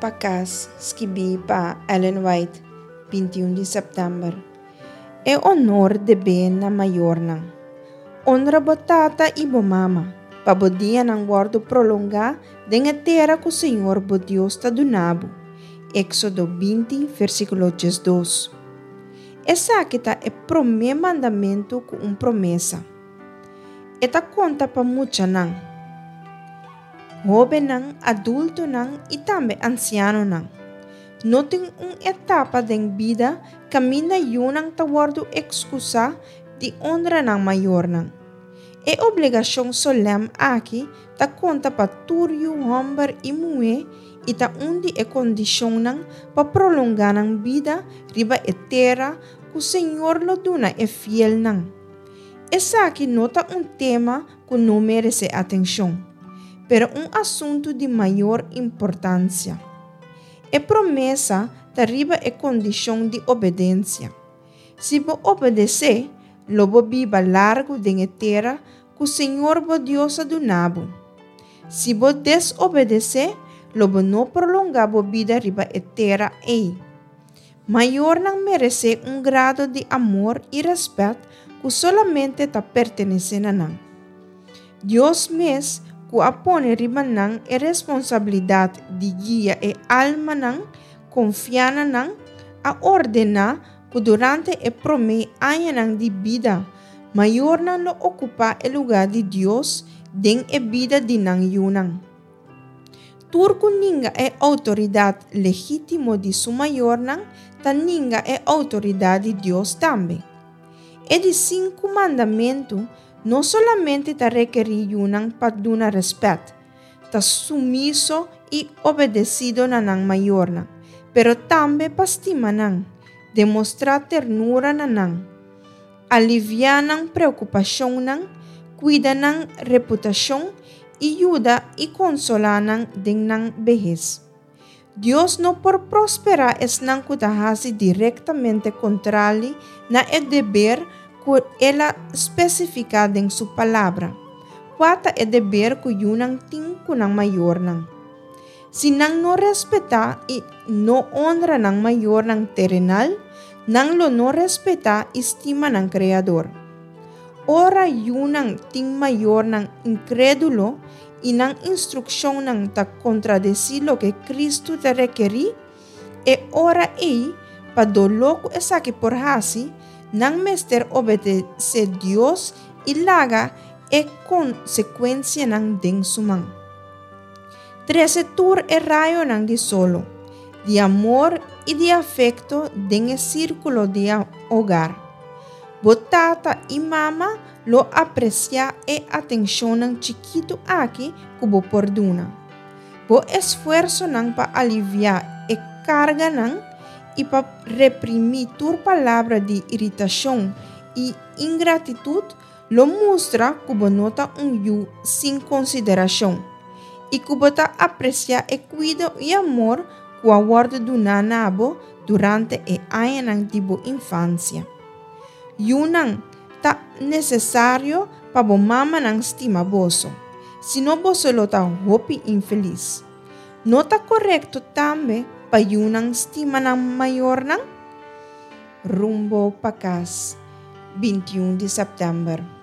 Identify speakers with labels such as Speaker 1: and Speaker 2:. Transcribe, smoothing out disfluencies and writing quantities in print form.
Speaker 1: pa Kas, skibí pa Ellen White, 21 di sèptèmber. E onor debé na mayornan. Honra bo tata i bo mama, pa bo dianan wòrdu prolongá den e tera ku señor bo Dios ta duna bo. Éksodo 20, versíkulo 12. Esaki ta e promé mandamentu ku un promesa. E ta konta pa muchanan, hóbennan, adultonan i tambe ansianonan. No tin un etapa den bida kaminda yunan ta wòrdu ekskusá di onra nan mayornan. E obligashon solèm aki ta konta pa tur yu hòmber i muhé i ta un di e kondishonnan pa prolongá nan bida riba e tera ku Señor lo duna e fielnan. Esaki no ta un tema ku no meresé atenshon, pero un asuntu di mayor importansia. E promesa ta riba e kondishon di obedensia. Si bo obedesé, lo bo biba largu den e tera ku señor bo Dios a duna bo. Si bo desobedesé, lo bo no prolongá bo bida riba e tera ei. Mayornan meresé un grado di amor i rèspèt ku solamente ta pertenesé na nan. Dios mes, ku a pone riba nan e responsabilidat di guia e almanan konfiá na nan, a ordená ku durante e promé añanan di bida, mayornan lo okupá e lugá di Dios den e bida di nan yunan. Tur ku ninga e outoridat legítimo di su mayornan ta ninga e outoridat di Dios tambe. E di sinku mandamentu no solamente ta rekerí yunan pa duna rèspèt, ta sumiso i obedesido na nan mayornan, pero tambe pa stima nan, demostrá ternura na nan, aliviá nan preokupashonnan, kuida nan reputashon i yuda i konsolá nan den nan behes. Dios no por prosperá esnan ku ta hasi direktamente kontrali na e deber ku el a spesifiká den su Palabra, kua ta e deber ku yunan tin ku nan mayornan. Si nan no respetá i no onra nan mayornan terenal, nan lo no respetá i stima nan Kreador. Ora yunan tin mayornan inkrédulo i nan instrukshonnan ta kontradesí loke Kristu ta rekerí, e ora ei, pa doló ku esaki por hasi, nan mester obedesé Dios i laga e konsekuensianan den su man. Trese tur e rayonan di solo, di amor i di afekto den e sírkulo di hogar. Bo tata i mama lo apresiá e atenshonnan chikitu aki ku bo por duna. Bo esfuersonan pa aliviá e karganan i pa reprimí tur palabra di iritashon i ingratitut lo mustra ku bo no ta un yu sin konsiderashon i ku bo ta apresiá e kuido i amor ku a wòrdu duná na bo durante e añanan di bo infansia. Yunan, ta nesesario pa bo mamanan stima boso, sino boso lo ta hopi infelis. No ta korekto tambe pa yunan stima nan mayornan? Rumbo pa kas, 21 di sèptèmber.